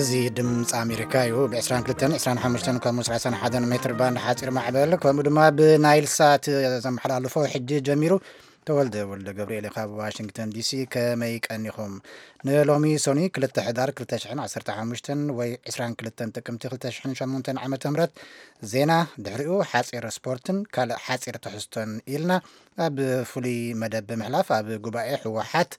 እዚ ድምፂ ኣሜሪካ እዩ። ብ22፣ 25 ከምኡ 31 ሜትር ባንድ ሓፂር ማዕበል፣ ከምኡ ድማ ብናይል ሳት ዘመሓላልፎ ሕጂ ጀሚሩ። ተወልደ ወልደ ገብርኤል ካብ ዋሽንግተን ዲሲ። ከመይ ቀኒኹም? ንሎሚ ሶኒ ክልተ ሕዳር ክልተ ሽሕን ዓሰርተ ሓሙሽተን ወይ ዕስራን ክልተን ጥቅምቲ ክልተ ሽሕን ሸሞንተን ዓመተ ምህረት ዜና፣ ድሕሪኡ ሓፂር ስፖርትን ካልእ ሓፂር ትሕዝቶን ኢልና ኣብ ፍሉይ መደብ ብምሕላፍ፣ ኣብ ጉባኤ ህወሓት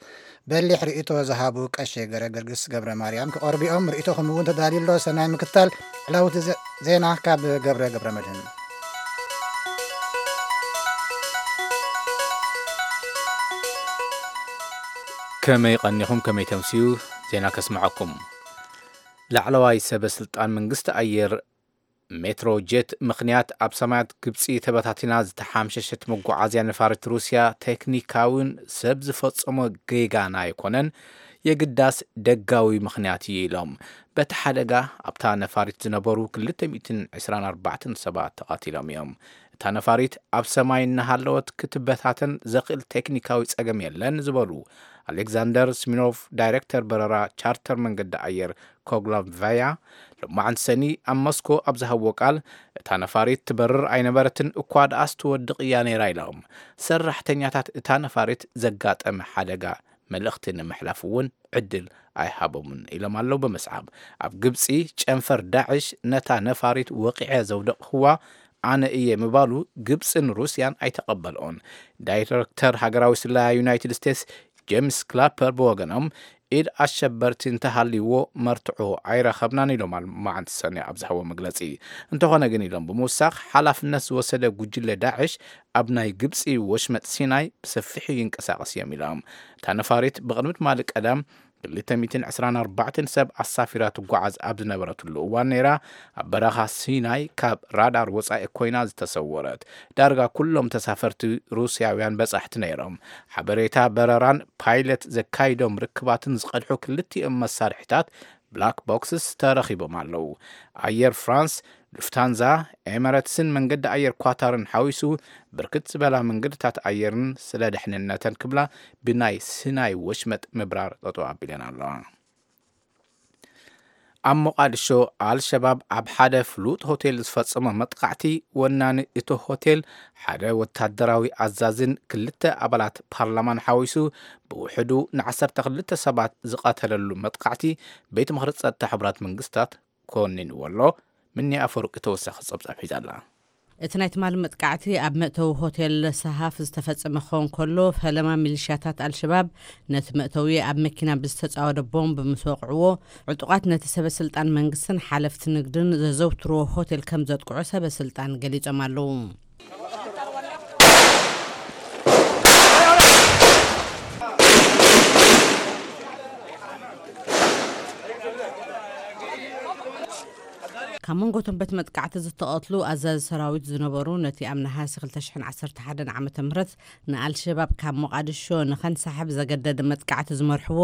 በሊሕ ርእይቶ ዝሃቡ ቀሺ ገረ ገርግስ ገብረ ማርያም ክቐርቡ እዮም። ርእይቶኹም እውን ተዳልዩ ኣሎ። ሰናይ ምክታል። ዕላውቲ ዘ-፣ ዜና ካብ ገብረ ገብረ መድህን። ከመይ ቀኒኹም፣ ከመይ ተምስዩ? ዜና ከስምዐኩም። ላዕለዋይ ሰበ ስልጣን መንግስቲ ኣየር ሜትሮ ጀት ምኽንያት ኣብ ሰማያት ግብፂ ተበታቲና ዝተሓምሸሸት መጓዓዝያ ነፋሪት ሩስያ ቴክኒካዊን ሰብ ዝፈጸሞ ጌጋን ኣይኮነን፣ የግዳስ ደጋዊ ምኽንያት እዩ ኢሎም። በቲ ሓደጋ ኣብታ ነፋሪት ዝነበሩ ክልተ ሚእትን ዕስራን ኣርባዕተን ሰባት ተቐቲሎም እዮም። እታ ነፋሪት ኣብ ሰማይ እናሃለወት ክትበታተን ዘኽእል ቴክኒካዊ ጸገም የለን ዝበሉ ኣሌክዛንደር ስሚኖቭ፣ ዳይሬክተር በረራ ቻርተር መንገዲ ኣየር ኮግሎቭያ፣ ሎማዕንቲ ሰኒ ኣብ ሞስኮ ኣብ ዝሃብዎ ቃል፣ እታ ነፋሪት ትበርር ኣይነበረትን፣ እኳ ደኣስ ትወድቕ እያ ነይራ ኢሎም። ሰራሕተኛታት እታ ነፋሪት ዘጋጠመ ሓደጋ መልእኽቲ ንምሕላፍ እውን ዕድል ኣይሃቦምን ኢሎም ኣለዉ። ብምስዓብ፣ ኣብ ግብፂ ጨንፈር ዳዕሽ ነታ ነፋሪት ወቂዐ ዘውደቕኽዋ ኣነ እየ ምባሉ ግብፅን ሩስያን ኣይተቐበልኦን። ዳይሬክተር ሃገራዊ ስለያ ዩናይትድ ስቴትስ ጄምስ ክላፐር ብወገኖም፣ ኢድ ኣሸበርቲ እንተሃልይዎ መርትዖ ኣይረኸብናን ኢሎም ኣብ መዓልቲ ሰኒ ኣብ ዝሃቦ መግለፂ። እንተኾነ ግን ኢሎም ብምውሳኽ፣ ሓላፍነት ዝወሰደ ጉጅለ ዳዕሽ ኣብ ናይ ግብፂ ወሽመጥ ሲናይ ብሰፊሑ ይንቀሳቐስ እዮም ኢሎም። እታ ነፋሪት ብቕድሚ ትማሊ ቀዳም ክልተ ሚእትን ዕስራን ኣርባዕተን ሰብ ኣሳፊራ ትጓዓዝ ኣብ ዝነበረትሉ እዋን ነይራ ኣብ በረኻ ሲናይ ካብ ራዳር ወጻኢ ኮይና ዝተሰወረት። ዳርጋ ኩሎም ተሳፈርቲ ሩስያውያን በጻሕቲ ነይሮም። ሓበሬታ በረራን ፓይለት ዘካይዶም ርክባትን ዝቐድሑ ክልቲኦም መሳርሒታት ብላክ ቦክስስ ተረኺቦም ኣለዉ። ኣየር ፍራንስ፣ ሉፍታንዛ፣ ኤመረትስን መንገዲ ኣየር ኳታርን ሓዊሱ ብርክት ዝበላ መንገድታት ኣየርን ስለ ደሕንነተን ክብላ ብናይ ሲናይ ወሽመጥ ምብራር ጠጠው ኣቢለን ኣለዋ። ኣብ ሞቓድሾ ኣልሸባብ ኣብ ሓደ ፍሉጥ ሆቴል ዝፈጸሞ መጥቃዕቲ፣ ወናኒ እቲ ሆቴል ሓደ ወታደራዊ ኣዛዝን ክልተ ኣባላት ፓርላማን ሓዊሱ ብውሕዱ ንዓሰርተ ክልተ ሰባት ዝቐተለሉ መጥቃዕቲ ቤት ምኽሪ ጸጥታ ሕቡራት መንግስታት ኮኒንዎ ኣሎ። ምኒ ኣፈወርቂ ተወሳኺ ጸብጻብ ሒዛ ኣላ። እቲ ናይ ትማሊ መጥቃዕቲ ኣብ መእተዊ ሆቴል ሰሃፍ ዝተፈጸመ ክኸውን ከሎ፣ ፈለማ ሚሊሽያታት ኣልሸባብ ነቲ መእተዊ ኣብ መኪና ብዝተጻወደ ቦምብ ምስ ወቕዕዎ፣ ዕጡቓት ነቲ ሰበ ስልጣን መንግስትን ሓለፍቲ ንግድን ዘዘውትርዎ ሆቴል ከም ዘጥቅዑ ሰበ ስልጣን ገሊጾም ኣለዉ። ካብ መንጎ እቶም በቲ መጥቃዕቲ ዝተቐትሉ ኣዛዚ ሰራዊት ዝነበሩ፣ ነቲ ኣብ ነሃሲ ክልተ ሽሕን ዓሰርተ ሓደን ዓመተ ምህረት ንኣልሸባብ ካብ ሞቓድሾ ንኸንሳሕብ ዘገደደ መጥቃዕቲ ዝመርሕዎ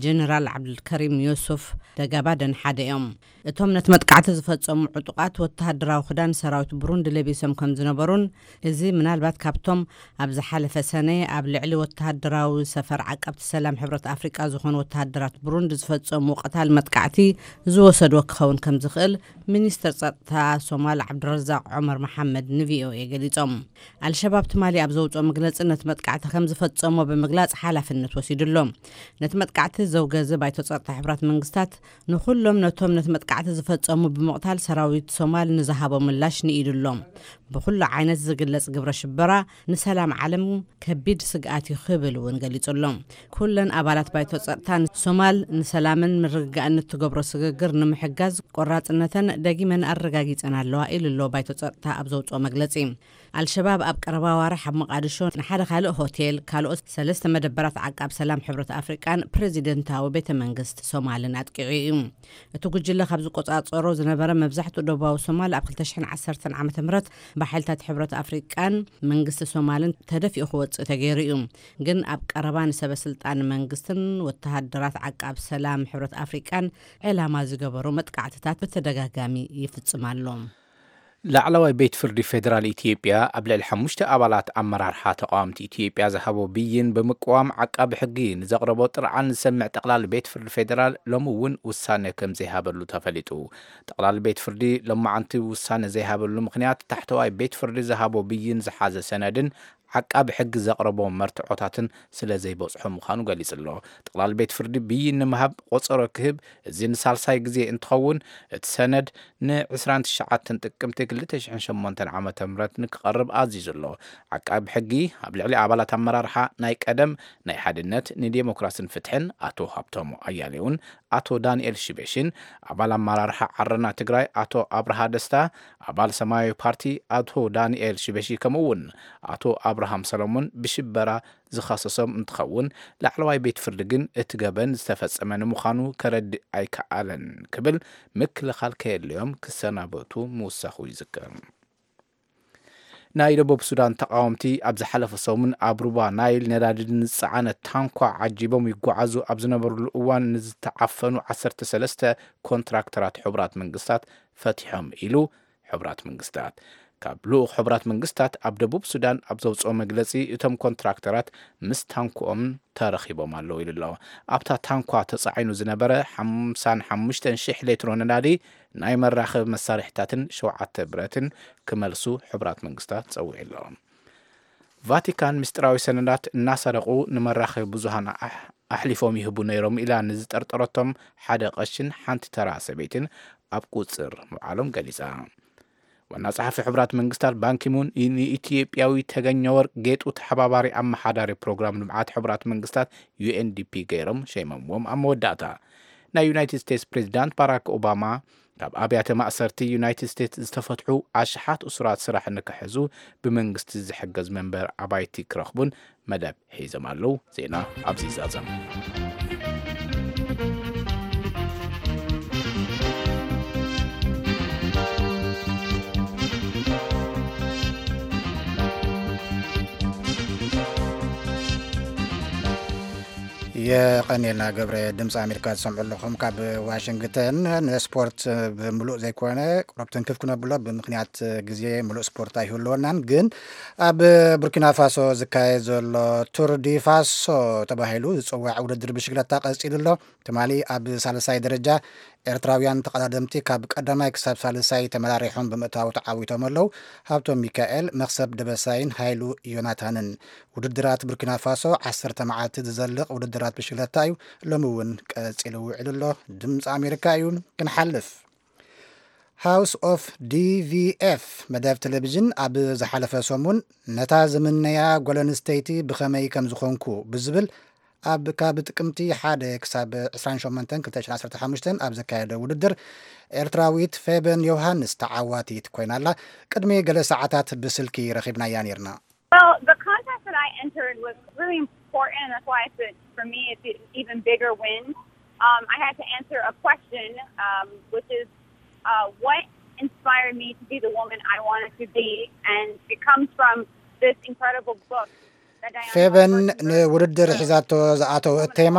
ጀነራል ዓብዱልከሪም ዮሱፍ ደጋባደን ሓደ እዮም። እቶም ነቲ መጥቃዕቲ ዝፈጸሙ ዕጡቓት ወተሃደራዊ ክዳን ሰራዊት ብሩንዲ ለቢሶም ከም ዝነበሩን፣ እዚ ምናልባት ካብቶም ኣብ ዝሓለፈ ሰነ ኣብ ልዕሊ ወተሃደራዊ ሰፈር ዓቀብቲ ሰላም ሕብረት ኣፍሪቃ ዝኾኑ ወተሃደራት ብሩንዲ ዝፈጸሙ ቀታል መጥቃዕቲ ዝወሰድዎ ክኸውን ከም ዝኽእል ሚኒስተር ጸጥታ ሶማል ዓብዱረዛቕ ዑመር መሓመድ ንቪኦኤ ገሊጾም። ኣልሸባብ ትማሊ ኣብ ዘውጽኦ መግለጺ ነቲ መጥቃዕቲ ከም ዝፈጸሞ ብምግላጽ ሓላፍነት ወሲዱ ኣሎ። ነቲ መጥቃዕቲ ዘውገዘ ባይቶ ጸጥታ ሕቡራት መንግስታት ንኹሎም ነቶም ነቲ መጥቃዕቲ ዝፈጸሙ ብምቕታል ሰራዊት ሶማል ንዝሃቦ ምላሽ ንኢዱ ኣሎ። ብኹሉ ዓይነት ዝግለጽ ግብረ ሽበራ ንሰላም ዓለም ከቢድ ስግኣት እዩ ክብል እውን ገሊጹ ኣሎ። ኩለን ኣባላት ባይቶ ጸጥታ ሶማል ንሰላምን ምርግጋእን እትገብሮ ስግግር ንምሕጋዝ ቆራጽነተን ደጊመን ኣረጋጊጸን ኣለዋ ኢሉ ኣሎ ባይቶ ጸጥታ ኣብ ዘውጽኦ መግለጺ። ኣልሸባብ ኣብ ቀረባ ዋርሕ ኣብ መቓድሾ ንሓደ ካልእ ሆቴል፣ ካልኦት ሰለስተ መደበራት ዓቃብ ሰላም ሕብረት ኣፍሪቃን ፕሬዚደንታዊ ቤተ መንግስቲ ሶማልን ኣጥቂዑ እዩ። እቲ ጉጅለ ካብ ዝቆጻጸሮ ዝነበረ መብዛሕትኡ ደቡባዊ ሶማል ኣብ ክልተ ሽሕን ዓሰርተን ዓመተ ምህረት ብሓይልታት ሕብረት ኣፍሪቃን መንግስቲ ሶማልን ተደፊኡ ክወጽእ ተገይሩ እዩ። ግን ኣብ ቀረባ ንሰበ ስልጣን መንግስትን ወተሃደራት ዓቃብ ሰላም ሕብረት ኣፍሪቃን ዕላማ ዝገበሩ መጥቃዕትታት ብተደጋጋሚ ይፍጽም ኣሎ። ላዕለዋይ ቤት ፍርዲ ፌደራል ኢትዮጵያ ኣብ ልዕሊ ሓሙሽተ ኣባላት ኣመራርሓ ተቓወምቲ ኢትዮጵያ ዝሃቦ ብይን ብምቅዋም፣ ዓቃቢ ሕጊ ንዘቕረቦ ጥርዓን ዝሰምዕ ጠቕላሊ ቤት ፍርዲ ፌደራል ሎሚ እውን ውሳነ ከም ዘይሃበሉ ተፈሊጡ። ጠቕላሊ ቤት ፍርዲ ሎማዓንቲ ውሳነ ዘይሃበሉ ምኽንያት፣ ታሕተዋይ ቤት ፍርዲ ዝሃቦ ብይን ዝሓዘ ሰነድን ዓቃቢ ሕጊ ዘቕረቦ መርትዖታትን ስለ ዘይበጽሖ ምዃኑ ገሊጹ ኣሎ። ጠቕላሊ ቤት ፍርዲ ብይን ንምሃብ ቆጸሮ ክህብ፣ እዚ ንሳልሳይ ግዜ እንትኸውን፣ እቲ ሰነድ ን ዕስራን ትሽዓተን ጥቅምቲ ክልተ ሽሕን ሸሞንተን ዓመተ ምህረት ንክቐርብ ኣዚዙ ኣሎ። ዓቃቢ ሕጊ ኣብ ልዕሊ ኣባላት ኣመራርሓ ናይ ቀደም ናይ ሓድነት ንዴሞክራስን ፍትሕን ኣቶ ሃብቶሙ ኣያሌውን ኣቶ ዳንኤል ሽበሽን፣ ኣባል ኣመራርሓ ዓረና ትግራይ ኣቶ ኣብርሃ ደስታ፣ ኣባል ሰማያዊ ፓርቲ ኣቶ ዳንኤል ሽበሺ፣ ከምኡ እውን ኣቶ ኣብርሃም ሰሎሞን ብሽበራ ዝኸሰሶም እንትኸውን፣ ላዕለዋይ ቤት ፍርዲ ግን እቲ ገበን ዝተፈጸመ ንምዃኑ ከረድእ ኣይከኣለን ክብል፣ ምክልኻል ከየድልዮም ክሰናበቱ ምውሳኹ ይዝከር። ናይ ደቡብ ሱዳን ተቓወምቲ ኣብ ዝሓለፈ ሰሙን ኣብ ሩባ ናይል ነዳዲ ንዝጸዓነ ታንኳ ዓጂቦም ይጓዓዙ ኣብ ዝነበሩሉ እዋን ንዝተዓፈኑ ዓሰርተ ሰለስተ ኮንትራክተራት ሕቡራት መንግስታት ፈቲሖም ኢሉ ሕቡራት መንግስታት። ካብ ልኡኽ ሕቡራት መንግስታት ኣብ ደቡብ ሱዳን ኣብ ዘውፅኦ መግለፂ፣ እቶም ኮንትራክተራት ምስ ታንክኦም ተረኺቦም ኣለዉ ኢሉ ኣሎ። ኣብታ ታንኳ ተፃዒኑ ዝነበረ ሓምሳን ሓሙሽተን ሽሕ ሌትሮ ነዳዲ፣ ናይ መራኸቢ መሳርሒታትን ሸውዓተ ብረትን ክመልሱ ሕቡራት መንግስታት ጸዊዑ ኣሎ። ቫቲካን ምስጢራዊ ሰነዳት እናሰረቑ ንመራኸቢ ብዙሃን ኣሕ-፣ ኣሕሊፎም ይህቡ ነይሮም ኢላ ንዝጠርጠረቶም ሓደ ቀሽን ሓንቲ ተራ ሰበይትን ኣብ ቁጽር ምውዓሎም ገሊጻ። ዋና ጸሓፊ ሕቡራት መንግስታት ባንኪሙን ንኢትዮጵያዊ ተገኘ ወርቅ ጌጡ ተሓባባሪ ኣመሓዳሪ ፕሮግራም ልምዓት ሕቡራት መንግስታት፣ ዩ ኤን ዲ ፒ፣ ገይሮም ሸይሞምዎም ኣብ መወዳእታ። ናይ ዩናይትድ ስቴትስ ፕሬዚዳንት ባራክ ኦባማ፣ ካብ ኣብያተ ማእሰርቲ ዩናይትድ ስቴትስ ዝተፈትሑ ኣሽሓት እሱራት ስራሕ ንክሕዙ ብመንግስቲ ዝሕገዝ መንበር ኣባይቲ ክረኽቡን መደብ ሒዞም ኣለዉ። ዜና ኣብዚ ይዛዘም። የቐኔልና ገብረ። ድምፂ ኣሜሪካ ዝሰምዑ ኣለኹም ካብ ዋሽንግተን። ንስፖርት ብምሉእ ዘይኮነ፣ ቁሩብ ትንክፍ ክነብሎ ብምኽንያት ግዜ፣ ምሉእ ስፖርት ኣይህልወናን። ግን ኣብ ቡርኪና ፋሶ ዝካየድ ዘሎ ቱር ዲ ፋሶ ተባሂሉ ዝፅዋዕ ውድድር ብሽክለታ ቀፂሉ ኣሎ። ትማሊ ኣብ ሳልሳይ ደረጃ ኤርትራውያን ተቐዳደምቲ ካብ ቀዳማይ ክሳብ ሳልሳይ ተመራሪሖም ብምእታው ተዓዊቶም ኣለዉ። ሃብቶም ሚካኤል፣ መኽሰብ ደበሳይን ሃይሉ ዮናታንን። ውድድራት ቡርኪና ፋሶ ዓሰርተ መዓልቲ ዝዘልቕ ውድድራት ብሽክለታ እዩ። ሎሚ እውን ቀጺሉ ውዒሉ ኣሎ። ድምፂ ኣሜሪካ እዩ። ክንሓልፍ፣ ሃውስ ኦፍ ዲ ቪ ኤፍ መደብ ቴሌቪዥን ኣብ ዝሓለፈ ሰሙን ነታ ዝምነያ ጓል ኣንስተይቲ ብኸመይ ከም ዝኾንኩ ብዝብል ኣብ ካብ ጥቅምቲ ሓደ ክሳብ ዕስራን ሸሞንተን ክልተ ሽሕን ዓሰርተ ሓሙሽተን ኣብ ዘካየደ ውድድር ኤርትራዊት ፌበን ዮሃንስ ተዓዋቲት ኮይና ኣላ። ቅድሚ ገለ ሰዓታት ብስልኪ ረኺብናያ ነይርና። Well, the contest that I entered was really important. That's why it's a, for me, it's an even bigger win. Um, I had to answer a question, um, which is, uh, what inspired me to be the woman I wanted to be? And it comes from this incredible book that Diana ፌበን Roberts wrote. ንውድድር ሒዛቶ ዝኣተወት ቴማ፣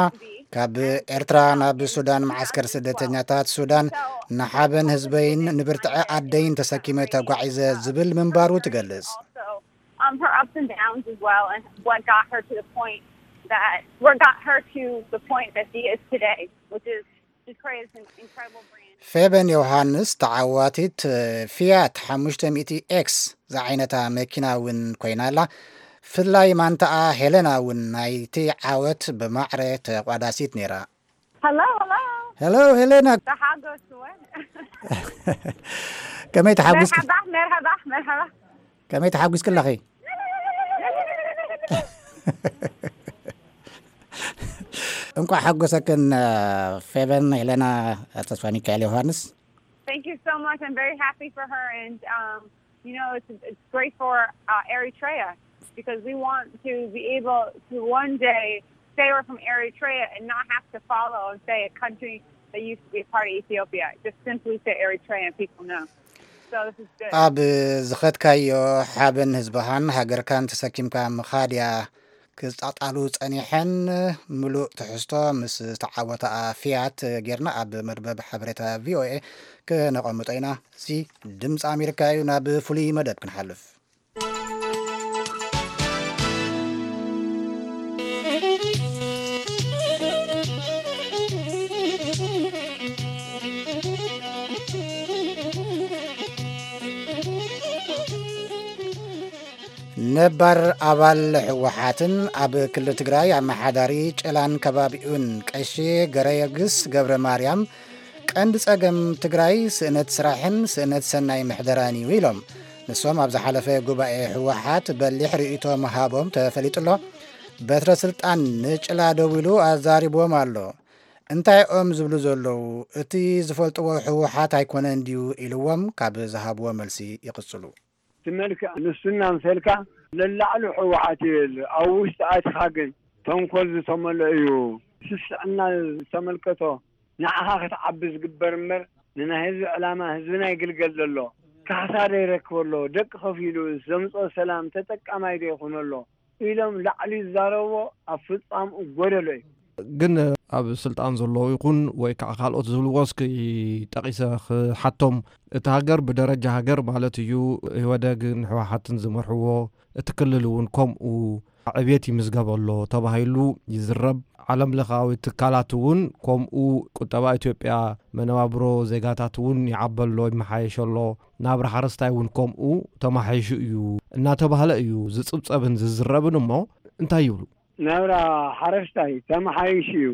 ካብ ኤርትራ ናብ ሱዳን፣ መዓስከር ስደተኛታት ሱዳን፣ ንሓበን ህዝበይን ንብርትዐ ኣደይን ተሰኪመ ተጓዒዘ ዝብል ምንባሩ ትገልጽ። Also, um, her ups and downs as well, and what got her to the point that, what got her to the point that she is today, which is, she created an incredible brand. ፌበን ዮሃንስ ተዓዋቲት ፊያት ሓሙሽተ ሚእቲ ኤክስ ዝዓይነታ መኪና እውን ኮይና ኣላ። ፍላይ ማንታኣ ሄለና እውን ናይቲ ዓወት ብማዕረ ተቋዳሲት ነይራ። Hello, hello. ሄሎ ሄለና። ተሓጎስወ። ከመይ ተሓጒስኪ? መርሓባ፣ መርሓባ፣ መርሓባ። ከመይ ተሓጒስኪ ኣለኺ? እንኳዕ ሓጎሰክን፣ ፌቨን ሄለና፣ ተስፋ ሚካኤል ዮሃንስ። Thank you so much. I'm very happy for her, and, um, you know, it's, it's great for, uh, Eritrea, because we want to be able to one day say we're from Eritrea and not have to follow and say a country that used to be a part of Ethiopia. Just simply say Eritrea and people know. So this is good. ኣብ ዝኸድካዮ ሓበን ህዝብኻን ሃገርካን ተሰኪምካ ምኻድ እያ ክጣጣሉ ጸኒሐን። ምሉእ ትሕዝቶ ምስ ዝተዓወታ ፊያት ጌርና ኣብ መርበብ ሓበሬታ ቪ ኦ ኤ ክነቐምጦ ኢና። እዚ ድምፂ ኣሜሪካ እዩ። ናብ ፍሉይ መደብ ክንሓልፍ። ነባር ኣባል ህወሓትን ኣብ ክልል ትግራይ ኣመሓዳሪ ጨላን ከባቢኡን ቀሺ ገረየግስ ገብረ ማርያም፣ ቀንዲ ጸገም ትግራይ ስእነት ስራሕን ስእነት ሰናይ ምሕደራን እዩ ኢሎም። ንሶም ኣብ ዝሓለፈ ጉባኤ ህወሓት በሊሕ ርእይቶ ምሃቦም ተፈሊጡ ኣሎ። በትረ ስልጣን ንጭላ ደዊሉ ኣዛሪብዎም ኣሎ። እንታይ እዮም ዝብሉ ዘለዉ? እቲ ዝፈልጥዎ ህወሓት ኣይኮነን ድዩ ኢልዎም ካብ ዝሃብዎ መልሲ ይቕጽሉ። እቲ መልክዕ ንሱና ምሰልካ ለላዕሉ ህወሓት ይብል፣ ኣብ ውሽጢ ኣቲኻ ግን ተንኮል ዝተመልኦ እዩ። ስስዕና ዝተመልከቶ ንዓኻ ክትዓቢ ዝግበር እምበር ንናይ ህዝቢ ዕላማ ህዝብና ይግልገል ዘሎ ካሕሳ ዶ ይረክበሎ፣ ደቂ ከፊሉ ዘምፅኦ ሰላም ተጠቃማይ ዶ ይኹነሎ ኢሎም ላዕሊ ዝዛረብዎ ኣብ ፍጻምኡ ጎደሎ እዩ። ግን ኣብ ስልጣን ዘለዉ ይኹን ወይ ከዓ ካልኦት ዝብልዎ እስኪ ጠቒሰ ክሓቶም፣ እቲ ሃገር ብደረጃ ሃገር ማለት እዩ፣ ኢህወደግን ህወሓትን ዝመርሕዎ፣ እቲ ክልል እውን ከምኡ ዕብየት ይምዝገበሎ ተባሂሉ ይዝረብ። ዓለም ለኻዊ ትካላት እውን ከምኡ ቁጠባ ኢትዮጵያ፣ መነባብሮ ዜጋታት እውን ይዓበሎ፣ ይመሓየሸሎ፣ ናብራ ሓረስታይ እውን ከምኡ ተማሓይሹ እዩ እናተባህለ እዩ ዝጽብጸብን ዝዝረብን። እሞ እንታይ ይብሉ? ናብራ ሓረስታይ ተመሓይሹ እዩ።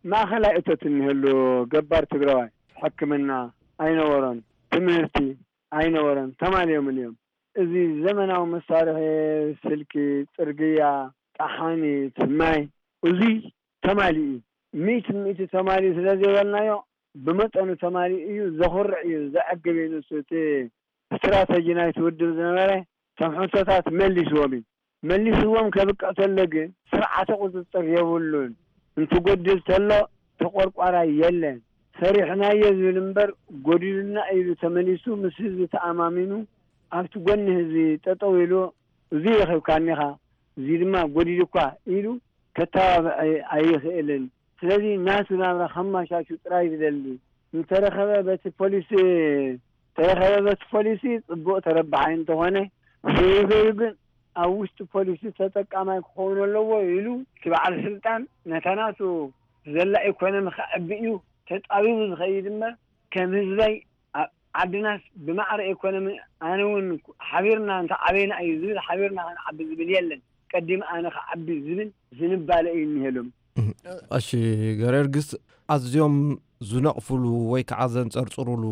ማእኸላይ እቶት እንህሉ ገባር ትግራዋይ ሕክምና ኣይነበሮን፣ ትምህርቲ ኣይነበሮን፣ ተማልዮምን እዮም። እዚ ዘመናዊ መሳርሒ ስልኪ፣ ጽርግያ፣ ጠሓኒት፣ ማይ፣ እዚ ተማሊኡ እዩ። ሚእቲ ሚእቲ ተማሊኡ ስለ ዘይበልናዮ ብመጠኑ ተማሊኡ እዩ። ዘኹርዕ እዩ፣ ዘዕግብ እዩ። ንሱ እቲ ስትራተጂ ናይቲ ውድብ ዝነበረ እቶም ሕቶታት መሊስዎም እዩ። መሊስዎም ከብቅዕ ተሎ ግን ስርዓተ ቁፅፅር የብሉን። እንትጎድል ተሎ ተቆርቋራይ የለን። ሰሪሕናዮ ዝብል እምበር ጎዲሉና ኢሉ ተመሊሱ ምስ ህዝቢ ተኣማሚኑ ኣብቲ ጎኒ ህዝቢ ጠጠው ኢሉ እዚ ረኺብካኒ ኢኻ፣ እዚ ድማ ጎዲሉኳ ኢሉ ከተባብዕ ኣይኽእልን። ስለዚ ናቱ ናብራ ከማሻሹ ጥራይ ዝደሊ። እንተረኸበ በቲ ፖሊሲ፣ ተረኸበ በቲ ፖሊሲ ጽቡቕ ተረባሓይ እንተኾነ፣ ዘይበዩ ግን ኣብ ውሽጢ ፖሊሲ ተጠቃማይ ክኸውን ኣለዎ ኢሉ እቲ በዓል ስልጣን ነታ ናቱ ዘላ ኢኮኖሚ ከዕቢ እዩ ተጣቢቡ ዝኸይድ እምበር ከም ህዝበይ ኣብ ዓድናስ ብማዕረ ኢኮኖሚ ኣነ እውን ሓቢርና እንተዓበይና እዩ ዝብል፣ ሓቢርና ክንዓቢ ዝብል የለን። ቀዲም ኣነ ክዓቢ ዝብል ዝንባለ እዩ እኒሄሎም። እሺ፣ ገረርግስ ኣዝዮም ዝነቕፍሉ ወይ ከዓ ዘንጸርጽሩሉ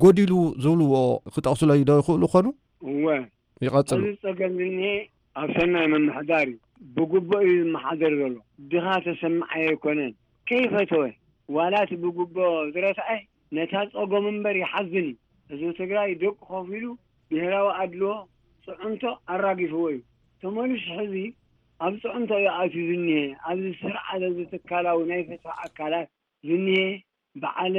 ጎዲሉ ዝብልዎ ክጠቕሱለይ ዶ ይኽእሉ ኾኑ? እወ። ይቐጽሉ። እዚ ጸገም ዝኒሄ ኣብ ሰናይ ምምሕዳር እዩ። ብግቡእ እዩ ዝመሓደር ዘሎ። ድኻ ተሰማዓይ ኣይኮነን። ከይፈተወ ዋላ እቲ ብግቡእ ዝረትዐ ነታ ጸገሙ እምበር ይሓዝን እዩ። ህዝቢ ትግራይ ደቁ ከፊሉ ብሄራዊ ኣድልዎ ጽዕንቶ ኣራጊፍዎ እዩ። ተመሊሱ ሕዚ ኣብ ጽዕንቶ እዩ ኣትዩ ዝኒሄ። ኣብዚ ስርዓት፣ ኣብዚ ትካላዊ ናይ ፍትሒ ኣካላት ዝኒሄ በዓል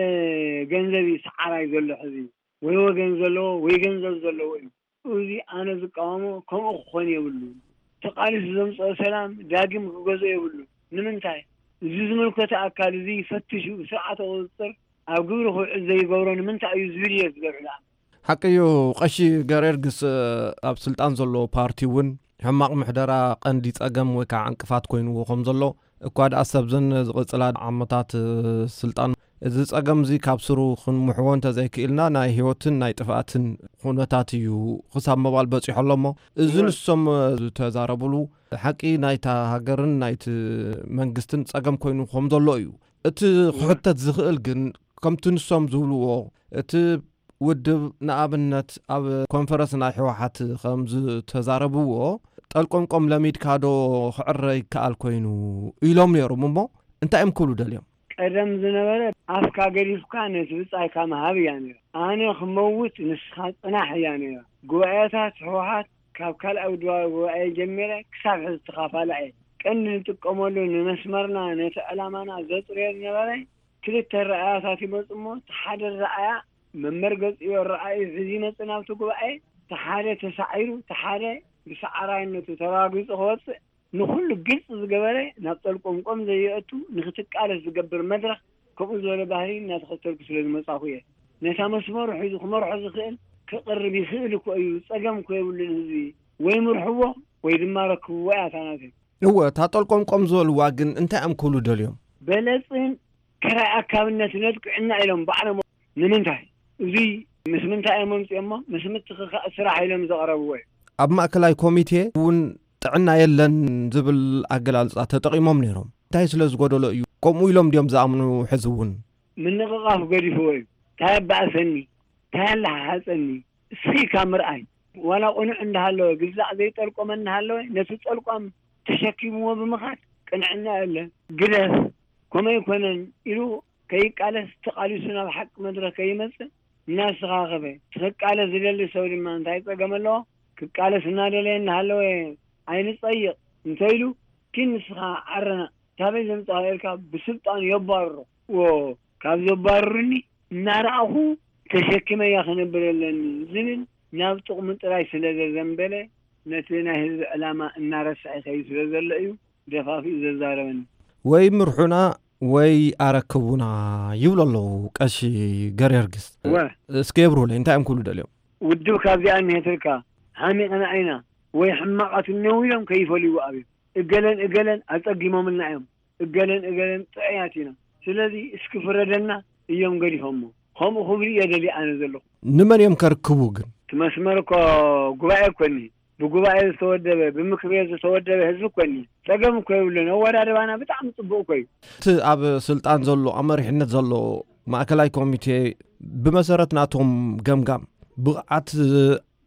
ገንዘብ እዩ ሰዓራይ ዘሎ ሕዚ። ወይ ወገን ዘለዎ ወይ ገንዘብ ዘለዎ እዩ። እዚ ኣነ ዝቃወሞ ከምኡ ክኾን የብሉን። ተቓሊሱ ዘምፅኦ ሰላም ዳግም ክገዝኦ የብሉን። ንምንታይ? እዚ ዝምልከቶ ኣካል እዚ ፈትሹ ብስርዓተ ቁፅፅር ኣብ ግብሪ ክውዕል ዘይገብሮ ንምንታይ እዩ ዝብል እየ ዝገብር። ሓቂ እዩ። ቀሺ ገሬርግስ ኣብ ስልጣን ዘሎ ፓርቲ እውን ሕማቕ ምሕደራ ቀንዲ ጸገም ወይ ከዓ ዕንቅፋት ኮይንዎ ከም ዘሎ እኳ ደኣ ሰብዘን ዝቕጽላ ዓመታት ስልጣን እዚ ጸገም እዚ ካብ ስሩ ክንምሕዎ እንተዘይክኢልና ናይ ህይወትን ናይ ጥፍኣትን ኩነታት እዩ ክሳብ ምባል በጺሑ ኣሎ። እሞ እዚ እወ። ንሶም ዝተዛረብሉ ሓቂ ናይታ ሃገርን ናይቲ መንግስትን ጸገም ኮይኑ ከም ዘሎ እዩ። እቲ ክሕተት ዝኽእል ግን ከምቲ ንሶም ዝብልዎ እቲ ውድብ ንኣብነት ኣብ ኮንፈረንስ ናይ ህወሓት ከም ዝተዛረብዎ ጠልቆምቆም ለሚድካ ዶ ክዕረ ይከኣል ኮይኑ ኢሎም ነይሮም። እሞ እንታይ እዮም ክብሉ ደልዮም? ቀደም ዝነበረ ኣፍካ ገዲፍካ ነቲ ብጻይካ ምሃብ እያ ነይራ። ኣነ ክመውት ንስኻ ጽናሕ እያ ነይራ። ጉባኤታት ህወሓት ካብ ካልኣዊ ድዋ ጉባኤ ጀሚረ ክሳብ ሕዚ ተኻፋላ እየ። ቀንዲ ንጥቀመሉ ንመስመርና ነቲ ዕላማና ዘጽርዮ ዝነበረ ክልተ ረኣያታት ይመጹ እሞ፣ እቲ ሓደ ረኣያ መመርገጺኡ ረኣዩ ሒዙ ይመጽእ ናብቲ ጉባኤ፣ እቲ ሓደ ተሳዒሩ፣ እቲ ሓደ ብሰዓራይነቱ ተረጋጊጹ ክወጽእ፣ ንኹሉ ግልፂ ዝገበረ፣ ናብ ጠልቆምቆም ዘየእቱ፣ ንክትቃለስ ዝገብር መድረኽ፣ ከምኡ ዝበለ ባህሪ እናተኸተልኩ ስለ ዝመጻኹ እየ። ነታ መስመሩ ሒዙ ክመርሖ ዝኽእል ክቕርብ ይኽእል እኮ እዩ። ጸገም እኮ የብሉን ህዝቢ። ወይ ምርሕዎ ወይ ድማ ረክብዎ እያ እታ ናተይ። እወ፣ እታ ጠልቆምቆም ዝበልዋ ግን እንታይ እዮም ክብሉ ደልዮም? በለጽን ክራይ ኣካብነት ነጥቅዕና ኢሎም ባዕሎም። ንምንታይ? እዚ ምስ ምንታይ እዮም ኣምፅኦሞ? ምስ ምትኽኻእ ስራሕ ኢሎም ዘቕረብዎ እዩ። ኣብ ማእከላይ ኮሚቴ እውን ጥዕና የለን ዝብል ኣገላልጻ ተጠቒሞም ነይሮም። እንታይ ስለ ዝጎደሎ እዩ ከምኡ ኢሎም ድዮም ዝኣምኑ? ሕዚ እውን ምንቕቓፍ ገዲፍዎ እዩ። እንታይ ኣባእሰኒ? እንታይ ኣለሓሓፀኒ? እስኺ ኢልካ ምርኣይ። ዋላ ቅኑዕ እንዳሃለወ፣ ግዛዕ ዘይጠልቆመ እንዳሃለወ፣ ነቲ ጠልቋም ተሸኪምዎ ብምኻድ ቅንዕና የለን። ግደፍ፣ ከምኡ ኣይኮነን ኢሉ ከይቃለስ፣ ተቓሊሱ ናብ ሓቂ መድረኽ ከይመጽእ እናስተኻኸበ፣ ክቃለስ ዝደሊ ሰብ ድማ እንታይ ጸገም ኣለዎ? ክቃለስ እናደለየ እናሃለወ ኣይንጸይቕ እንተኢሉ፣ ኪን ንስኻ ዓረና፣ ታበይ ዘምጻኻ ኢልካ ብስልጣን የባርሮ። ዎ፣ ካብ ዘባርሩኒ እናረኣኹ ተሸኪመያ ክነብር ኣለኒ ዝብል ናብ ጥቕሙ ጥራይ ስለ ዘዘንበለ፣ ነቲ ናይ ህዝቢ ዕላማ እናረስዐ ይኸይድ ስለ ዘሎ እዩ ደፋፊኡ ዘዛረበኒ። ወይ ምርሑና ወይ ኣረክቡና ይብሉ ኣለዉ ቀሺ ገርጊስ። እወ። እስከ የብርሁለይ፣ እንታይ እዮም ክብሉ ደልዮም? ውድብ ካብዚኣ እኒሄትልካ፣ ሓሚቕና ኢና ወይ ሕማቓት እኒአው ኢሎም ከይፈልይዎ ኣብዮም። እገለን እገለን ኣጸጊሞምልና እዮም፣ እገለን እገለን ጥዑያት ኢና፣ ስለዚ እስኪ ፍረደና እዮም ገዲፎሞ። ከምኡ ክብሉ እየ ደልየ ኣነ ዘለኹ። ንመን እዮም ከርክቡ ግን? እቲ መስመር እኮ ጉባኤ እኮ እኒሄ። ብጉባኤ ዝተወደበ፣ ብምክር ቤት ዝተወደበ ህዝቢ እኮ እኒሄ። ጸገም እኮ የብሉን። ኣወዳድባና ብጣዕሚ ጽቡቕ እኮ እዩ። እቲ ኣብ ስልጣን ዘሎ፣ ኣብ መሪሕነት ዘሎ ማእከላይ ኮሚቴ ብመሰረት ናቶም ገምጋም ብቕዓት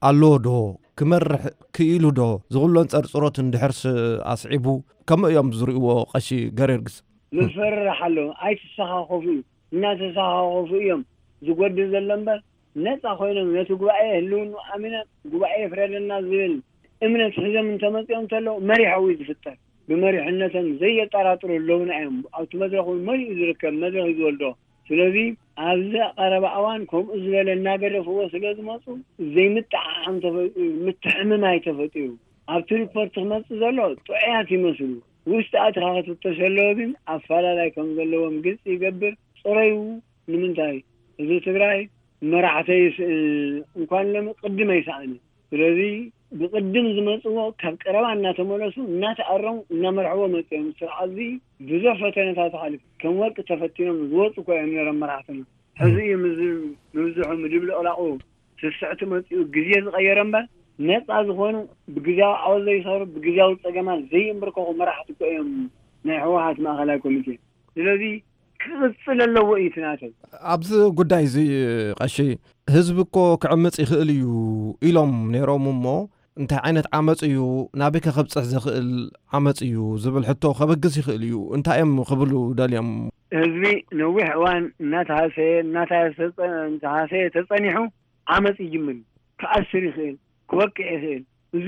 ኣለዎ ዶ? ክመርሕ ክኢሉ ዶ? ዝኹሉ ኣንጸርጽሮት እንድሕርስ ኣስዒቡ ከመይ እዮም ዝርእይዎ ቀሺ ገርጊስ? ምፍርራሕ ኣሎ። ኣይትሰኻኸፉ እዩ። እናተሰኻኸፉ እዮም ዝጎድል ዘሎ እምበር፣ ነጻ ኮይኖም ነቲ ጉባኤ ህልውንኡ ኣሚኖም ጉባኤ ይፍረደና ዝብል እምነት ሒዞም እንተመጺኦም እንተለዉ መሪሖም እዩ ዝፍጠር። ብመሪሕነቶም ዘየጠራጥሩ ኣለዉና እዮም። ኣብቲ መድረኽ እውን መሊኡ ዝርከብ መድረኽ እዩ ዝወልዶ። ስለዚ ኣብዚ ቀረባ እዋን ከምኡ ዝበለ እናገደፍዎ ስለ ዝመጹ ዘይምጥዕዓም ተፈጢሩ፣ ምትሕምማይ ተፈጢሩ። ኣብቲ ሪፖርት ክመጽእ ዘሎ ጥዑያት ይመስሉ። ውሽጢ ኣትኻ ክትፍተሽ ኣለዎ ግን ኣፈላላይ ከም ዘለዎም ግልጺ ይገብር። ጽረዩ ንምንታይ? ህዝቢ ትግራይ መራሕተይ ይስእን፣ እንኳን ሎሚ ቅድም ኣይሰኣነ። ስለዚ ብቅድም ዝመጽዎ ካብ ቀረባ እናተመለሱ እናተኣረሙ እናመርሕዎ መጽኦም። ስርዓት እዚ ብዙሕ ፈተነታት ሓሊፉ ከም ወርቂ ተፈቲኖም ዝወፁ እኮ እዮም ነይሮም መራሕትና። ሕዚ እዩ ምዝ-፣ ምብዝሑ ምድብልቕላቑ ስስዕቲ መፂኡ ግዜ ዝቐየረ እምበር ነፃ ዝኾኑ ብግዜያዊ ዓወት ዘይሰሩ ብግዜያዊ ፀገማት ዘይንብርከኹ መራሕቲ እኮ እዮም ናይ ህወሓት ማእኸላይ ኮሚቴ። ስለዚ ክቕፅል ኣለዎ እዩ እቲ ናተይ። ኣብዚ ጉዳይ እዚ ቀሺ ህዝቢ እኮ ክዕምፅ ይኽእል እዩ ኢሎም ነይሮም እሞ እንታይ ዓይነት ዓመፅ እዩ ናበይ ከ ከብፅሕ ዘኽእል ዓመፅ እዩ ዝብል ሕቶ ከበግስ ይኽእል እዩ። እንታይ እዮም ክብሉ ደልዮም? ህዝቢ ነዊሕ እዋን እናተሃሰየ እናተሃሰየ ተፀ-፣ እናተሃሰየ ተፀኒሑ ዓመፅ ይጅምር እዩ። ክኣስር ይኽእል፣ ክወቅዕ ይኽእል። እዚ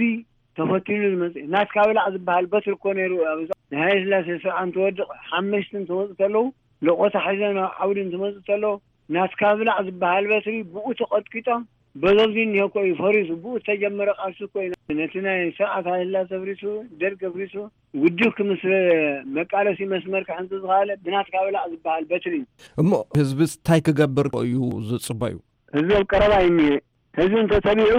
ተፈቲኑ ዝመፅእ ናትካ ብላዕ ዝበሃል በትሪ እኮ ነይሩ። ኣብ ናይ ሃይለ ስላሴ ስርዓት እንትወድቕ ሓመሽቲ እንትመፁ ተለዉ፣ ለቆታ ሒዞም ናብ ዓውዲ እንትመፁ ተለዉ ናትካ ብላዕ ዝበሃል በትሪ ብኡ ተቐጥቂጦም በዞብዚ እኒሀ እኮ እዩ ፈሪሱ። ብኡ ዝተጀመረ ቃልሲ እኮ እዩ ነቲ ናይ ስርዓት ሃይለ ስላሴ ኣፍሪሱ፣ ደርግ ኣፍሪሱ፣ ውድብ ክምስረ መቃለሲ መስመር ክሕንፅ ዝኸኣለ ብናትካ ብላዕ ዝበሃል በትሪ እዩ። እሞ ህዝብስ እንታይ ክገብር እዩ ዝፅበዩ? ህዝቢ ኣብ ቀረባ እዩ እኒሀ። ህዝቢ እንተተቢዑ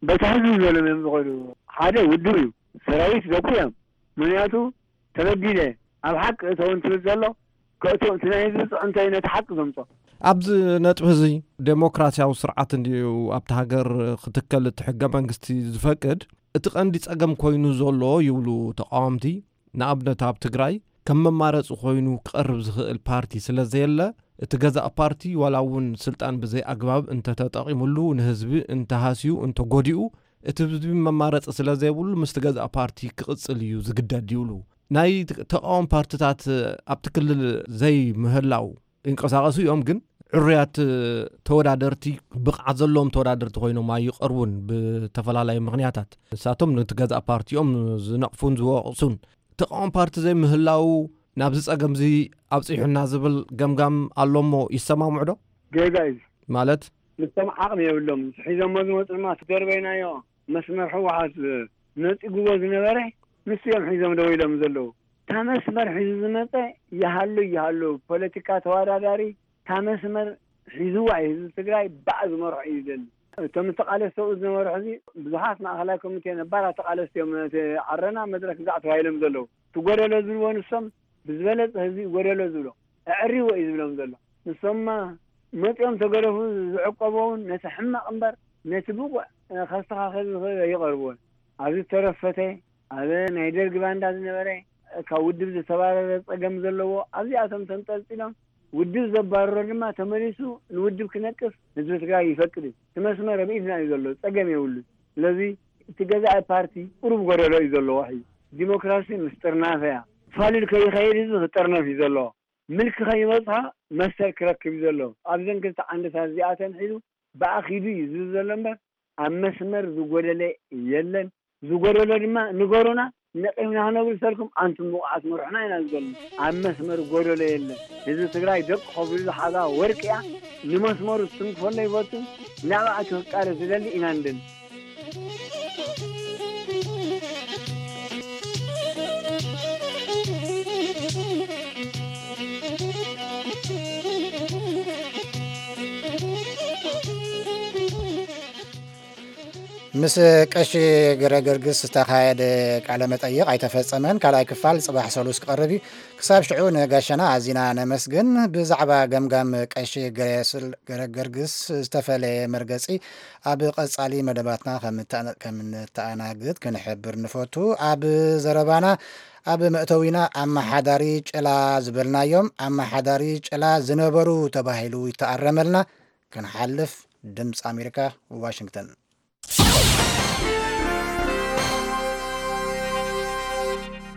በቲ ህዝቢ ዝበሎም እዮም ዝኸዱ። ሓደ ውድብ እዩ፣ ሰራዊት ዘኩ እዮም። ምኽንያቱ ተበዲለ ኣብ ሓቂ እተው እንትብል ዘሎ ከእቶ እቲ ናይ ህዝቢ ፅዕንቶ እዩ ነቲ ሓቂ ዘምፆ። ኣብዚ ነጥቢ እዚ ዴሞክራሲያዊ ስርዓት እንድዩ ኣብቲ ሃገር ክትከል እቲ ሕገ መንግስቲ ዝፈቅድ እቲ ቀንዲ ጸገም ኮይኑ ዘሎ ይብሉ ተቃወምቲ። ንኣብነት ኣብ ትግራይ ከም መማረፂ ኮይኑ ክቐርብ ዝኽእል ፓርቲ ስለ ዘየለ እቲ ገዛእ ፓርቲ ዋላ እውን ስልጣን ብዘይ ኣግባብ እንተተጠቒሙሉ ንህዝቢ እንተሃስዩ እንተጎዲኡ እቲ ህዝቢ መማረፂ ስለ ዘይብሉ ምስቲ ገዛእ ፓርቲ ክቕፅል እዩ ዝግደድ ይብሉ። ናይ ተቃወም ፓርትታት ኣብቲ ክልል ዘይምህላው ይንቀሳቐሱ እዮም፣ ግን ዕሩያት ተወዳደርቲ ብቕዓት ዘለዎም ተወዳደርቲ ኮይኖም ኣይቐርቡን ብተፈላለዩ ምኽንያታት። ንሳቶም ነቲ ገዛእ ፓርቲኦም ዝነቕፉን ዝወቕሱን። ተቃወም ፓርቲ ዘይምህላው ናብዚ ጸገምዚ ኣብጺሑና ዝብል ገምጋም ኣሎ እሞ ይሰማምዑ ዶ? ጌጋ እዩ። ማለት? ንሶም ዓቕሚ የብሎም። ሒዞሞ ዝመፁ ድማ እቲ ደርበይናዮ መስመር ህወሓት ነፂጉዎ ዝነበረ ንሱ እዮም ሒዞም ደው ኢሎም ዘለዉ። እታ መስመር ሒዙ ዝመፀ ይሃሉ ይሃሉ፣ ፖለቲካ ተወዳዳሪ እታ መስመር ሒዝዋ እዩ። ህዝቢ ትግራይ ባዕ ዝመርሖ እዩ ደሊ። እቶም ተቃለስቲ ኣብኡ ዝነበሩ ሕዚ ብዙሓት ማእኸላይ ኮሚቴ ነባራት ተቃለስቲ እዮም ነቲ ዓረና መድረክ ግዛዕ ተባሂሎም ዘለዉ። እቲ ጎደሎ ዝብልዎ ንሶም ብዝበለፀ ህዝቢ እዩ ጎደሎ ዝብሎ። ኣዕሪዎ እዩ ዝብሎም ዘሎ። ንሶምማ መፂኦም ተገደፉ ዝዕቀቦ እውን ነቲ ሕማቕ እምበር ነቲ ብቑዕ ከስተኻኸል ዝኽእል ኣይቐርብዎን። ኣብዚ ዝተረፈተ ኣብ ናይ ደርጊ ባንዳ ዝነበረ ካብ ውድብ ዝተባረረ ፀገም ዘለዎ ኣብዚኣቶም ተንጠልጢሎም ውድብ ዘባረሮ ድማ ተመሊሱ ንውድብ ክነቅፍ ህዝቢ ትግራይ ይፈቅድ እዩ። እቲ መስመር ኣብ ኢድና እዩ ዘሎ፣ ፀገም የብሉን። ስለዚ እቲ ገዛኢ ፓርቲ ቁሩብ ጎደሎ እዩ ዘለዎ። ሕዚ ዲሞክራሲ ምስ ጥርናፈ እያ። ፋሉል ከይኸይድ ህዝቢ ክጥርነፍ እዩ ዘለዎ። ምልኪ ከይበፅሖ መሰል ክረክብ እዩ ዘለዎ። ኣብዘን ክልተ ዓንድታት እዚኣተን ሒዙ ብኣኺዱ እዩ ዝብል ዘሎ እምበር ኣብ መስመር ዝጎደለ የለን። ዝጎደሎ ድማ ንገሩና፣ ነቒምና ክነብርሰልኩም፣ ኣንቱም ብቑዓት መርሑና ኢና ዝብለና። ኣብ መስመር ጎደሎ የለን። ህዝቢ ትግራይ ደቁ ከብሉ ዝሓዛ ወርቂ እያ። ንመስመሩ ዝትንክፈሉ ኣይፈቱን። ናባኣ ክቃለስ ዝደሊ ኢና ንደሊ። ምስ ቀሺ ገረገርግስ ዝተኻየደ ቃለ መጠይቕ ኣይተፈጸመን። ካልኣይ ክፋል ጽባሕ ሰሉስ ክቐርብ እዩ። ክሳብ ሽዑ ንጋሻና ኣዚና ነመስግን። ብዛዕባ ገምጋም ቀሺ ገረስል- ገረገርግስ ዝተፈለየ መርገጺ ኣብ ቀጻሊ መደባትና ከም እተኣነ- ከም እንተኣናግድ ክንሕብር ንፈቱ። ኣብ ዘረባና ኣብ መእተዊና ኣመሓዳሪ ጭላ ዝበልናዮም ኣመሓዳሪ ጭላ ዝነበሩ ተባሂሉ ይተኣረመልና። ክንሓልፍ ድምፂ ኣሜሪካ ዋሽንግተን።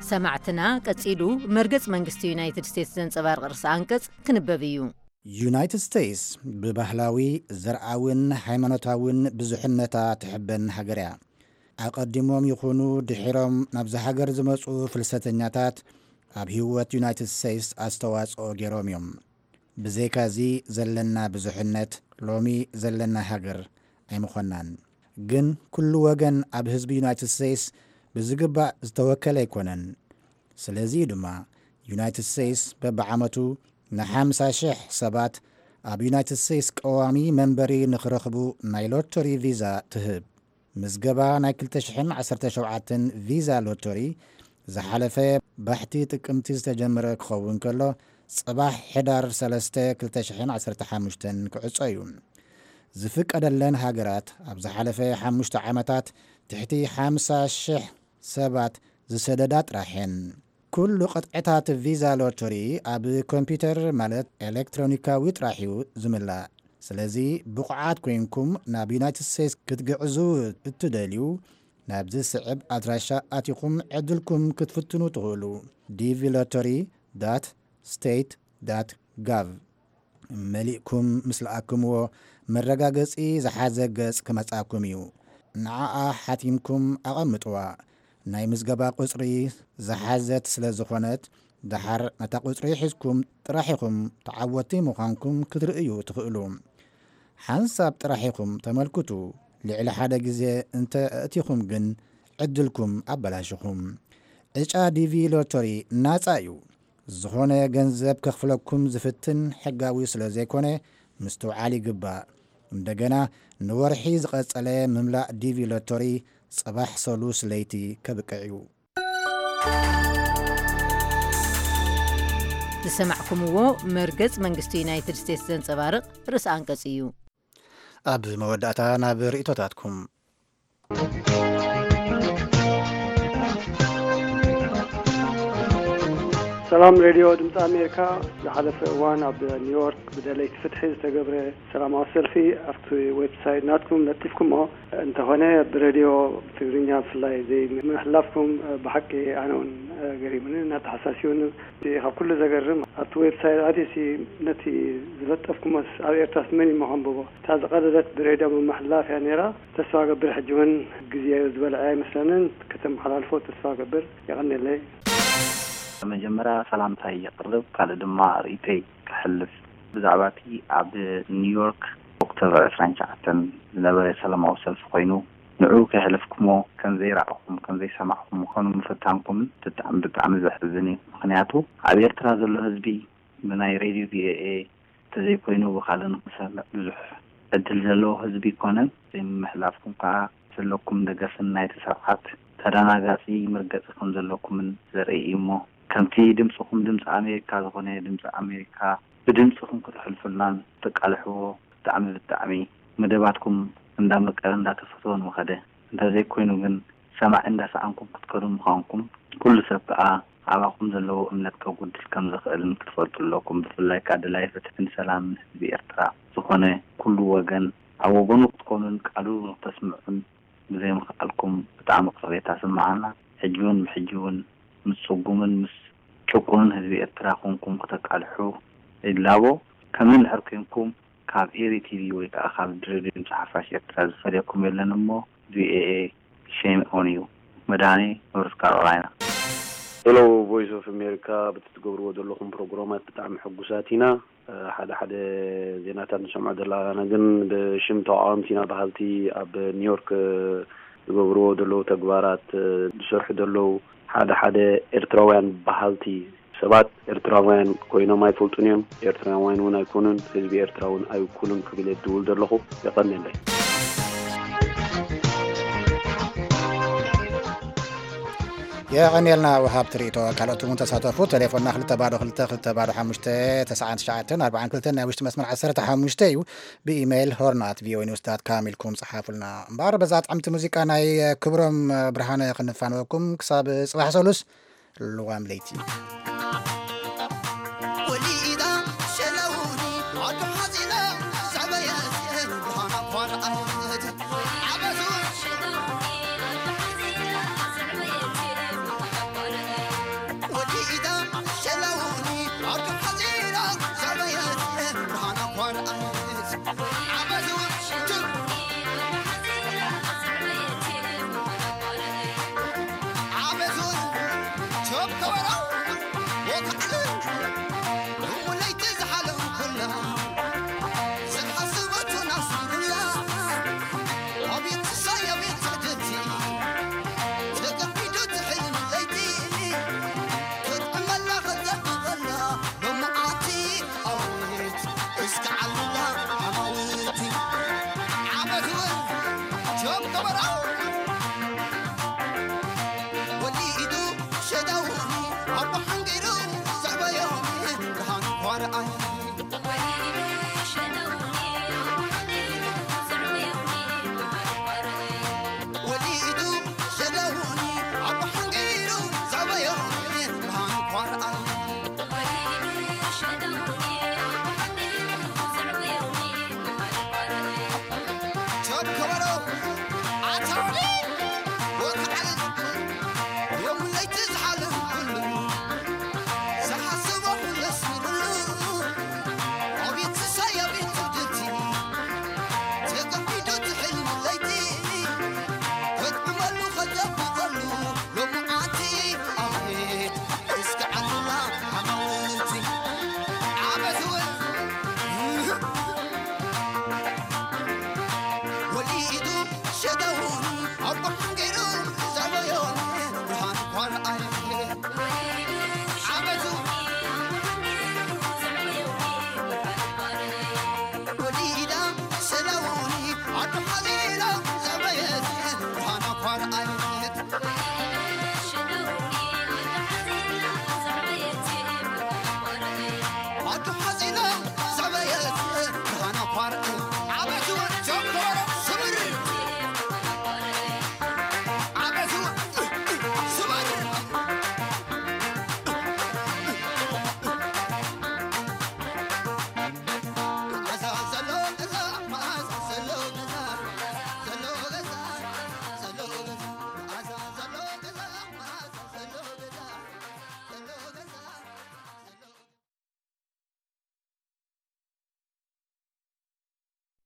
ሰማዕትና ቀጺሉ መርገጽ መንግስቲ ዩናይትድ ስቴትስ ዘንጸባርቕ ርእሰ ኣንቀጽ ክንበብ እዩ። ዩናይትድ ስቴትስ ብባህላዊ ዘርኣውን ሃይማኖታውን ብዙሕነታ ትሕበን ሃገር እያ። ኣቐዲሞም ይኹኑ ድሒሮም ናብዛ ሃገር ዝመጹ ፍልሰተኛታት ኣብ ህይወት ዩናይትድ ስቴትስ ኣስተዋጽኦ ገይሮም እዮም። ብዘይካዚ ዘለና ብዙሕነት ሎሚ ዘለና ሃገር ኣይምኾንናን። ግን ኩሉ ወገን ኣብ ህዝቢ ዩናይትድ ስቴትስ ብዝግባእ ዝተወከለ ኣይኮነን። ስለዚ እዩ ድማ ዩናይትድ ስቴትስ በብዓመቱ ንሓምሳ ሽሕ ሰባት ኣብ ዩናይትድ ስቴትስ ቀዋሚ መንበሪ ንኽረኽቡ ናይ ሎተሪ ቪዛ ትህብ። ምዝገባ ናይ ክልተ ሽሕን ዓሰርተ ሸውዓተን ቪዛ ሎተሪ ዝሓለፈ ባሕቲ ጥቅምቲ ዝተጀመረ ክኸውን ከሎ ጽባሕ ሕዳር ሰለስተ ክልተ ሽሕን ዓሰርተ ሓሙሽተን ክዕጾ እዩ። ዝፍቀደለን ሃገራት ኣብ ዝሓለፈ ሓሙሽተ ዓመታት ትሕቲ ሓምሳ ሽሕ ሰባት ዝሰደዳ ጥራሕ እየን። ኩሉ ቅጥዕታት ቪዛ ሎተሪ ኣብ ኮምፒውተር ማለት ኤሌክትሮኒካዊ ጥራሕ እዩ ዝምላእ። ስለዚ ብቑዓት ኮይንኩም ናብ ዩናይትድ ስቴትስ ክትግዕዙ እትደልዩ ናብዚ ስዕብ ኣድራሻ ኣቲኹም ዕድልኩም ክትፍትኑ ትኽእሉ። ዲቪ ሎተሪ ዳት ስቴት ዳት ጋቭ መሊእኩም ምስ ለኣክምዎ መረጋገጺ ዝሓዘ ገጽ ክመጻኩም እዩ። ንዓኣ ሓቲምኩም ኣቐምጥዋ። ናይ ምዝገባ ቁጽሪ ዝሓዘት ስለ ዝኾነት ደሓር ነታ ቁጽሪ ሒዝኩም ጥራሕ ኢኹም ተዓወትቲ ምዃንኩም ክትርእዩ ትኽእሉ። ሓንሳብ ጥራሕ ኢኹም ተመልክቱ። ልዕሊ ሓደ ግዜ እንተ ኣእቲኹም ግን ዕድልኩም ኣበላሽኹም። ዕጫ ዲቪ ሎተሪ ናጻ እዩ። ዝኾነ ገንዘብ ከኽፍለኩም ዝፍትን ሕጋዊ ስለ ዘይኮነ ምስትውዓል ይግባእ። እንደገና ንወርሒ ዝቐጸለ ምምላእ ዲቪ ሎተሪ ጽባሕ ሰሉስ ለይቲ ከብቅዕ እዩ። ዝሰማዕኩምዎ መርገጽ መንግስቲ ዩናይትድ ስቴትስ ዘንጸባርቕ ርእሰ ኣንቀጽ እዩ። ኣብ መወዳእታ ናብ ርእይቶታትኩም። ሰላም ሬድዮ ድምፂ ኣሜሪካ። ዝሓለፈ እዋን ኣብ ኒውዮርክ ብደለይቲ ፍትሒ ዝተገብረ ሰላማዊ ሰልፊ ኣብቲ ዌብሳይት ናትኩም ለጢፍኩሞ እንተኾነ ብሬድዮ ትግርኛ ብፍላይ ዘይምሕላፍኩም ብሓቂ ኣነ እውን ገሪሙኒ እናተሓሳሲቡኒ። እቲ ካብ ኩሉ ዘገርም ኣብቲ ዌብሳይት ኣትዩሲ ነቲ ዝለጠፍኩሞስ ኣብ ኤርትራስ መን እዩ ከንብቦ? እታ ዝቐደደት ብሬድዮ ምምሕላፍ እያ ነይራ። ተስፋ ገብር ሕጂ እውን ግዜኡ ዝበልዐ ኣይመስለንን። ከተመሓላልፎ ተስፋ ገብር። የቐንየለይ። መጀመርያ ሰላምታይ የቕርብ፣ ካልእ ድማ ርእይቶይ ከሕልፍ። ብዛዕባ እቲ ኣብ ኒውዮርክ ኦክቶበር ዕስራን ትሽዓተን ዝነበረ ሰላማዊ ሰልፊ ኮይኑ ንዑ ከይሕለፍኩሞ ከም ዘይረኣኹም ከም ዘይሰማዕኹም ምዃኑ ምፍታንኩምን ብጣዕሚ ብጣዕሚ ዘሕዝን እዩ። ምኽንያቱ ኣብ ኤርትራ ዘሎ ህዝቢ ብናይ ሬድዮ ቪኦኤ እንተዘይኮይኑ ብኻልእ ንኽሰምዕ ብዙሕ ዕድል ዘለዎ ህዝቢ ኣይኮነን። ዘይምምሕላፍኩም ከዓ ዘለኩም ደገፍን ናይቲ ስርዓት ተደናጋፂ መርገፂ ከም ዘለኩምን ዘርኢ እዩ። እሞ ከምቲ ድምፅኹም ድምፂ ኣሜሪካ ዝኾነ ድምፂ ኣሜሪካ ብድምፅኹም ክትሕልፉልናን ተቃልሕዎ ብጣዕሚ ብጣዕሚ መደባትኩም እንዳመቀረ እንዳተፈተወ ምኸደ። እንተዘይኮይኑ ግን ሰማዒ እንዳሰኣንኩም ክትከዱ ምዃንኩም ኩሉ ሰብ ከዓ ኣባኹም ዘለዎ እምነት ከጉድል ከም ዝኽእልን ክትፈልጡ ኣለኩም። ብፍላይ ከዓ ደላይ ፍትሕን ሰላምን ህዝቢ ኤርትራ ዝኾነ ኩሉ ወገን ኣብ ወገኑ ክትኮኑን ቃሉ ንክተስምዑን ብዘይምኽኣልኩም ብጣዕሚ ቅሬታ ስምዓና። ሕጂ እውን ብሕጂ እውን ምስ ጽጉምን ምስ ጭቁኑን ህዝቢ ኤርትራ ኮንኩም ክተቃልሑ ይላቦ። ከምዚ እንድሕር ኮንኩም ካብ ኤሪ ቲቪ ወይ ከዓ ካብ ሬድዮ ድምፂ ሓፋሽ ኤርትራ ዝፈልየኩም የለን። እሞ ቪኦኤ ሼም ኦን ዩ። መድሃኔ ኖርዝ ካሮላይና። ሄሎ ቮይስ ኦፍ ኣሜሪካ፣ በቲ ትገብርዎ ዘለኹም ፕሮግራማት ብጣዕሚ ሕጉሳት ኢና። ሓደ ሓደ ዜናታት ንሰምዖ ዘለና ግን ብሽም ተቃወምቲ ኢና በሃልቲ ኣብ ኒውዮርክ ዝገብርዎ ዘለዉ ተግባራት ዝሰርሑ ዘለዉ ሓደ ሓደ ኤርትራውያን በሃልቲ ሰባት ኤርትራውያን ኮይኖም ኣይፈልጡን እዮም። ኤርትራውያን እውን ኣይኮኑን። ህዝቢ ኤርትራ እውን ኣይውክሉን ክብል እየ ዝድውል ዘለኹ። የቐንየለይ። የቐንየልና ወሃብቲ ርእይቶ። ካልኦት እውን ተሳተፉ። ቴሌፎንና ክልተ ባዶ ክልተ ክልተ ባዶ ሓሙሽተ ተስዓን ትሽዓተን ኣርባዓን ክልተን ናይ ውሽጢ መስመር ዓሰርተ ሓሙሽተ እዩ። ብኢሜይል ሆርን ኣት ቪኦኤ ኒውስ ዳት ካም ኢልኩም ጸሓፉልና። እምበኣር በዛ ጥዕምቲ ሙዚቃ ናይ ክብሮም ብርሃነ ክንፋነወኩም ክሳብ ጽባሕ ሰሉስ ልዋም ለይቲ።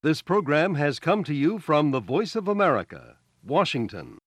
This program has come to you from the Voice of America, Washington.